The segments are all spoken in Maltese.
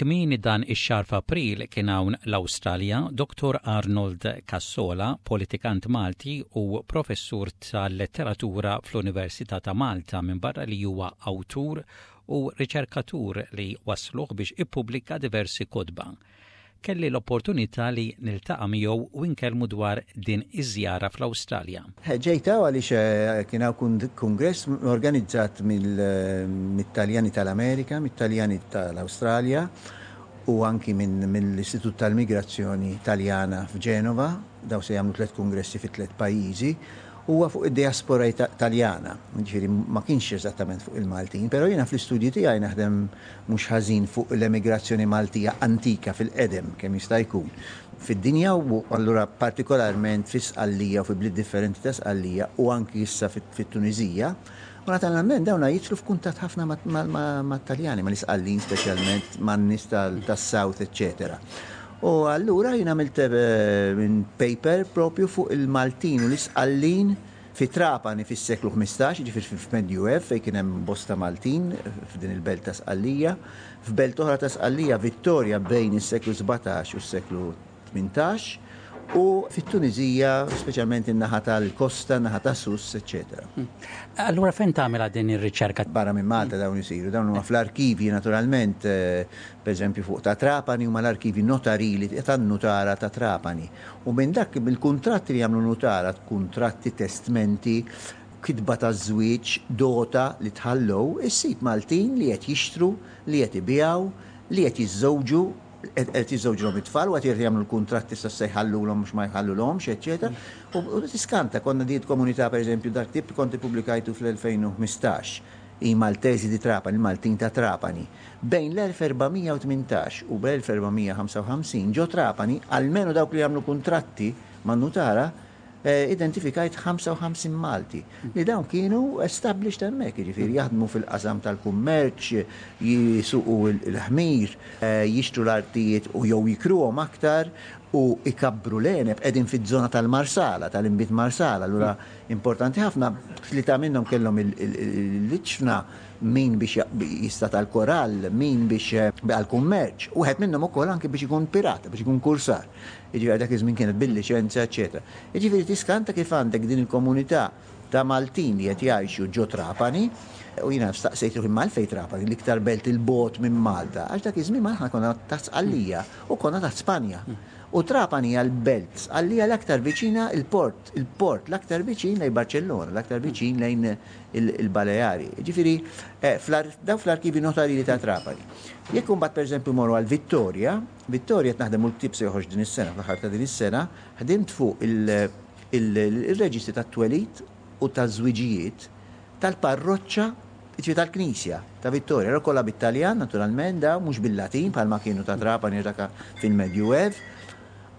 Kmieni dan ix-xahar f'April kien hawn l-Awstralja Dottor Arnold Cassola, politikant Malti u professur tal-letteratura fl-Università ta' Malta minbarra li huwa awtur u riċerkatur li wassluh biex ippubblika diversi kotba. Kelli l-opportunità li niltaqa' miegħu u nkellmu dwar din iż-żjara fl-Awstralja. Ġejt hawn għaliex kien hawn kungress organizzat mit-Taljani tal-Amerika, mit-Taljani tal-Awstralja u anki mill-Istitut tal-Migrazzjoni Taljana f'Ġenova. Dawn se jagħmlu tlett kungressi fi tlett pajjiżi. Huwa fuq id-diaspora Taljana, jiġifieri ma kienx eżattament fuq il-Maltin, però jiena fl-istudji tiegħi naħdem mhux ħażin fuq l-emigrazzjoni Maltija antika fil-qedem kemm jista' jkun fid-dinja u allura partikolarment fi Sqallija u fi bliet differenti ta' Sqallija u anki issa fit-Tuniżija. U naturalment dawn jidħlu f'kuntatt ħafna mat-Taljani, mal-Isqallin speċjalment, man-nies tas-South, eċċetera. U allura jien għamilt paper propju fuq il-Maltin u l-Isqallin fi Trapani fis-seklu 15, jiġifieri fil-Medjuev fejn kien hemm bosta Maltin f'din il-belt ta' Sqallija, f'belt oħra ta' Sqallija, Vittoria bejn is-seklu 17 u s-seklu 18, u fit-Tuniżija, speċjalment in-naħa tal-kosta, in-naħa ta' Sousse, eċċetera. Allura fejn tagħmilha din ir-riċerka? Barra minn Malta dawn isiru, dawn huma fl-arkivji naturalment, pereżempju fuq ta' Trapani huma l-arkivji notarili tan-nutara ta' Trapani. U minn dak mill-kuntratti li jagħmlu nutara, kuntratti, testmenti, kitba taż-żwieġ, dota li tħallew, issib Maltin li qed jixtru, li qed ibigħu, li qed jiżżewġu, qed jiżżewġulhom it-tfal u qed jagħmlu l-kuntratti issa se jħallulhom mhux ma jħallulhomx, eċċetera. U tiskanta, konna din komunità pereżempju dak tip kont ippubblikajtu fl-2015, I Maltesi di Trapani, il-Maltin ta' Trapani. Bejn l-1418 u l-1455 ġo Trapani, almenu dawk li għamlu kuntratti man-nutara, identifikajt 55 Malti li dawn kienu established hemmhekk, jiġifieri jaħdmu fil-qasam tal-kummerċ, jisuqu l-ħmir, jixtru l-artijiet u jew jikruhom aktar u jkabbru l-għeneb, qegħdin fiż-żona tal-Marsala, tal-inbid Marsala, allura importanti ħafna, tlieta minnhom kellhom l-iġfna, min biex jista' tal-korall, min biex għall-kummerċ, wieħed minnhom ukoll anki biex ikun pirata, biex ikun kursar. Jiġifieri dak iż-żmien kienet bil-liċenzja eċċetera. Jiġifieri tiskanta kif għandek din il-komunità ta' Maltin li qed jgħixu ġo Trapani, u jiena staqsejt ruħi imma għalfejn Trapani, l-iktar belt 'il bogħod minn Malta? Għax dak iż-żmien aħna konna taħt Sqallija u konna taħt Spanja. U Trapani hija l-belt Sqallija l-aktar viċina il-port, il-port l-aktar viċin lejn Barċellona, l-aktar viċin lejn il-Baleari. Jiġifieri dawn fl-arkivji notarili ta' Trapani. Jekk imbagħad pereżempju mmorru għal Vittoria, Vittoria qed naħdem u l-ktieb se joħroġ din is-sena, fl-aħħar ta' din is-sena, ħdimt fuq il-reġistri tat-twelid u taż-żwiġijiet tal-parroċċa, jiġifieri tal-knisja ta' Vittoria. Allura kollha bit-Taljan naturalment dawn, mhux bil-Latin bħalma kienu ta' Trapani u dak fil-Medjuev.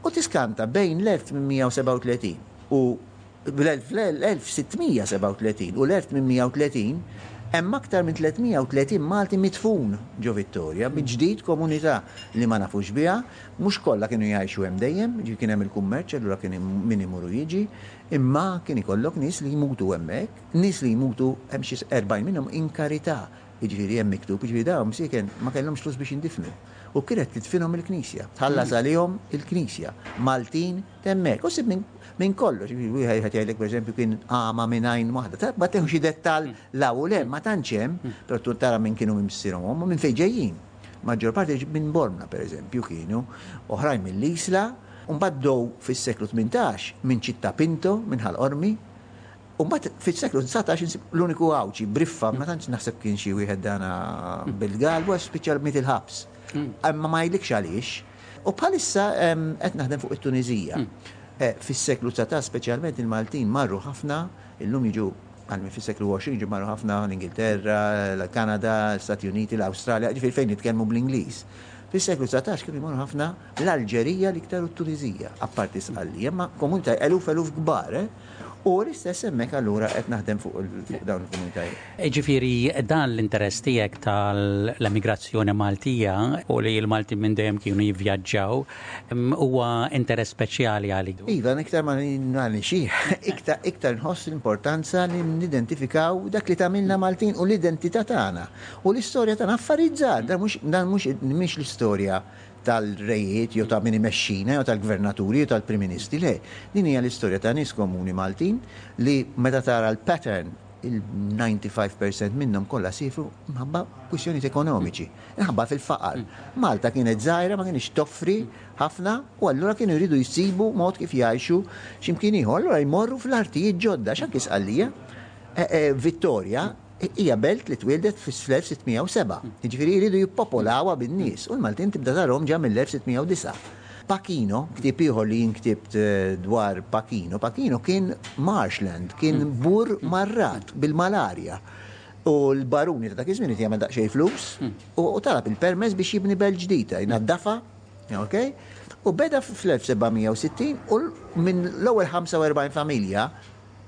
U tiskanta bejn l-1837 u Bl-1637 u l-1830 hemm aktar minn 330 Malti midfun ġo Vittoria, bi ġdid komunità li ma nafux biha, mhux kollha kienu jgħixu hemm dejjem, jiġifieri kien hemm il-kummerċ allura kien min imur u jiġi, imma kien ikollok nies li jmutu hemmhekk, nies li jmutu hemm xi 40 minnhom in karità, jiġifieri hemm miktub, jiġifieri dawn msieken ma kellhomx flus biex jindifnu u kienet tidfinhom il-Knisja, tħallas għalihom il-Knisja, Maltin Hemmhekk, u ssib minn kollox, wieħed jgħidlek pereżempju kien għama minn għajn waħda. Ta' ma tieħu xi dettall 'l hawn u 'l hemm, ma tantx hemm, però tkun tara minn kienu minn missierhom u ommhom, minn fejn ġejjin. Maġġor parti minn Bormla pereżempju kienu, oħrajn mill-Isla, u mbagħad bdew fis-seklu 18 minn Città Pinto, minn Ħal Qormi, U mbagħad fis-seklu 19 insib l-uniku Għawdxi, Briffa, ma tantx naħseb kien xi wieħed dana bil-galbu għax spiċċa miet il-ħabs. Imma ma jgħidlikx għaliex. U bħalissa qed naħdem fuq it-Tuniżija. Fis-seklu 19 speċjalment il-Maltin marru ħafna, illum jiġu għal fis-seklu 20 jiġu marru ħafna l-Ingilterra, l-Kanada, l-Stati Uniti, l-Awstralja, ġifieri fejn nitkellmu bl-Ingliż. Fis-seklu 19 kienu jmorru ħafna l-Alġerija l-iktar u t-Tuniżija, apparti Sqallija, imma komunità eluf eluf kbar, eh? U l-istess hemmhekk allura qed naħdem fuq dawn il-komunitajiet. Ġifieri dan l-interess tiegħek tal-emigrazzjoni Maltija u li l-Maltin minn dejjem kienu jivvjaġġaw huwa interess speċjali għalik. Iva, iktar ma nixih, iktar nħoss l-importanza li nidentifikaw dak li tagħmilna Maltin u l-identità tagħna. U l-istorja tagħna affarijiet żgħar, dan mhux mhix l-istorja tal-rejiet jew ta' min imexxina jew tal-gvernaturi jew tal-Prim Ministri, le. Din hija l-istorja ta' nies komuni Maltin li meta tara l-pattern il-95% minnhom kollha siefru minħabba kwistjonijiet ekonomiċi, minħabba fil-faqar. Malta kienet żgħira ma kinitx toffri ħafna u allura kienu jridu jsibu mod kif jgħixu x'imkien ieħor. Allura jmorru fl-artijiet ġodda, għax anki Sqallija, Vittoria, Hija belt li twieldet fl-1607, jiġifieri jridu jippopolawha bin-nies, u l-Maltin tibda tarahom ġa mill-1609. Pachino, ktieb ieħor li jien ktibt dwar Pachino, Pachino kien marshland, kien bur marrat bil-malarja. U l-baruni ta' dak iż-żmien irid jagħmel daqsxejn flus u talab il-permess biex jibni belt ġdida, jnaddafha, ok? U beda fl-1760 u minn l-ewwel 45 familja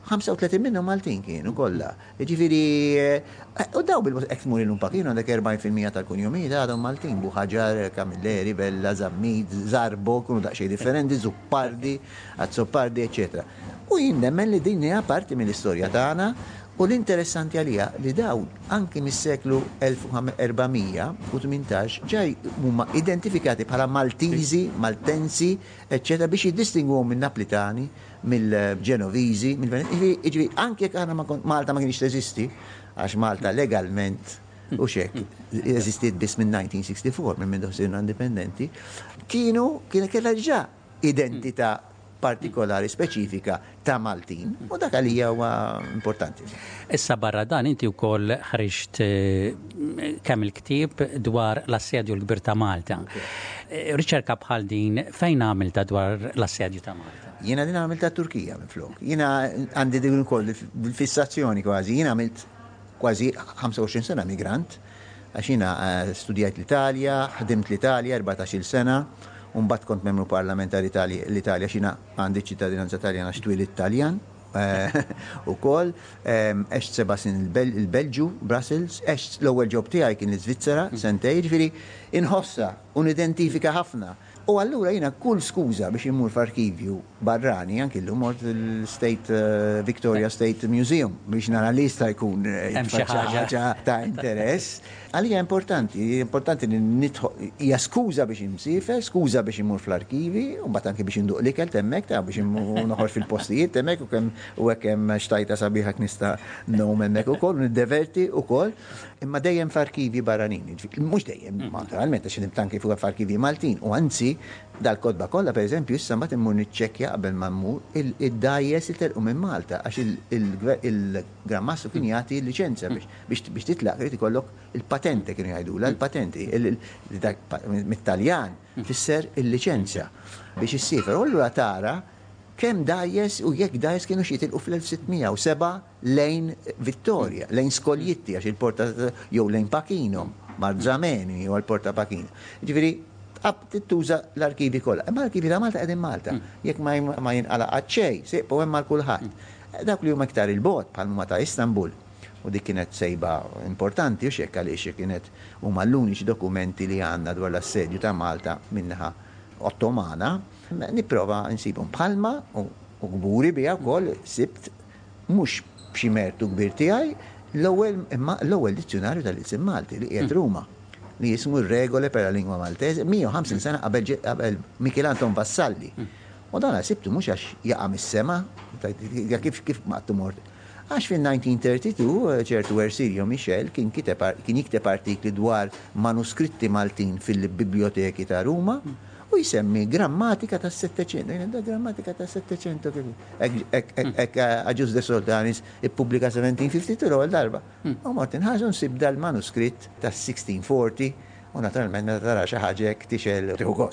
35 minnhom Maltin kienu kollha. Jiġifieri, u daw bil-mod hekk tmur illum Pachino għandek 40% tal-kunjomijiet għadhom Maltin, Buħaġar, Camilleri, Vella, Zammit, Zarbo, jkunu daqsxejn differenti, Zuppardi, Azzopardi, eċċetera. U jien nemmen li din hija parti mill-istorja tagħna u l-interessanti għalija li dawn anki mis-seklu 1418 ġa huma identifikati bħala Maltiżi, Maltensi, eċċetera biex jiddistingwuhom min-Naplitani mill-Ġenoviżi, mill-Venezjani, jiġifieri anke jekk aħna ma Malta ma kienx teżisti, għax Malta legalment u xek, eżistiet biss minn 1964, minn mindu sirna indipendenti, kienu, kien kellha ġa identità partikolari speċifika ta' Maltin u dak għalija huwa importanti. Issa barra dan inti wkoll ħriġt kemm il-ktieb dwar l-assedju l-kbir ta' Malta. Riċerka bħal din fejn għamiltha dwar l-assedju ta' Malta? Jiena din għamiltha t-Turkija minflok. Jiena għandi din ukoll il-fissazzjoni kważi. Jiena għamilt kważi 25 sena migrant għax jiena studjajt l-Italja, ħdimt l-Italja 14-il sena, u mbagħad kont membru parlamentari l-Italja għax jiena għandi ċ-ċittadinanza Taljana għax twilidt Taljan ukoll. Għext seba' snin il-Belġju, Brussels, għext l-ewwel job tiegħi kien l-Iżvizzera sentejn, jiġifieri inħossha u nidentifika ħafna. U allura jiena kull skuża biex immur f'arkivju barrani, anki llum mort l-State Victoria State Museum biex nara li jista' jkun Hemm xi ħaġa ta' interess. Għalija importanti, importanti li nidħol, hija skuża biex insiefer, skuża biex immur fl-arkivi, u mbagħad anki biex induq l-ikel t'hemmhekk, ta' biex immur noħorġ fil-postijiet t'hemmhekk u kemm u hekk hemm xtajta sabiħa hekk nista' ngħum hemmhekk ukoll u niddeverti ukoll. Imma dejjem f'arkivji barranin, jiġifieri, mhux dejjem, naturalment, għax ħdimt anki fuq f'arkivji Maltin, u anzi, dal-kotba kollha, pereżempju, issa mbagħad immur niċċekkja qabel ma mmur id-dgħajjes li telqu minn Malta, għax il-Gran Mastru kien jagħti l-liċenzja biex titlaq irid ikollok il-patente kienu jgħidulha, il-patente, mit-Taljan tfisser il-liċenzja biex issiefer. U allura tara kemm dgħajjes u jekk dgħajjes kinux jitilqu fl-1607 lejn Vittoria, lejn Scoglitti għax il-port ta' jew lejn Pachino, Marzameni jew għall-port ta' Pachino. Jiġifieri tqab tuża l-arkivi kollha. Imma l-arkivi ta' Malta qegħdin Malta. Jekk ma jinqala' qatt xejn, se jibqgħu hemm għal kulħadd. Dawk li huma iktar 'il bogħod bħal huma ta' Istanbul, u dik kienet sejba importanti hux hekk għaliex kienet huma l-uniċi dokumenti li għandna dwar l-assedju ta' Malta min-naħa Ottomana, nipprova nsibhom bħalma u kburi biha wkoll sibt mhux b'xi mertu kbir tiegħi, l-ewwel imma l-ewwel dizzjunarju tal-ilsien Malti li qiegħed Ruma, li jismu Regole per la lingua maltese, 150 sena qabel qabel Mikiel Anton Vassalli. U dan sibtu mhux għax jaqa' mis-sema, kif kif qattu mort. Għax fin-1932 ċertu Ersilio Michel kien kiteb kien jikteb artikli dwar manuskritti Maltin fil-bibljoteki ta' Ruma u jsemmi grammatika tas-Settecento. Jiena da grammatika tas-Settecento kif hekk Agius de Soltanis ippubblika 1752 l-ewwel darba. U mort inħarsu nsib dal-manuskritt tas-1640 u naturalment meta tara xi ħaġa hekk tixgħel u tieħu gost.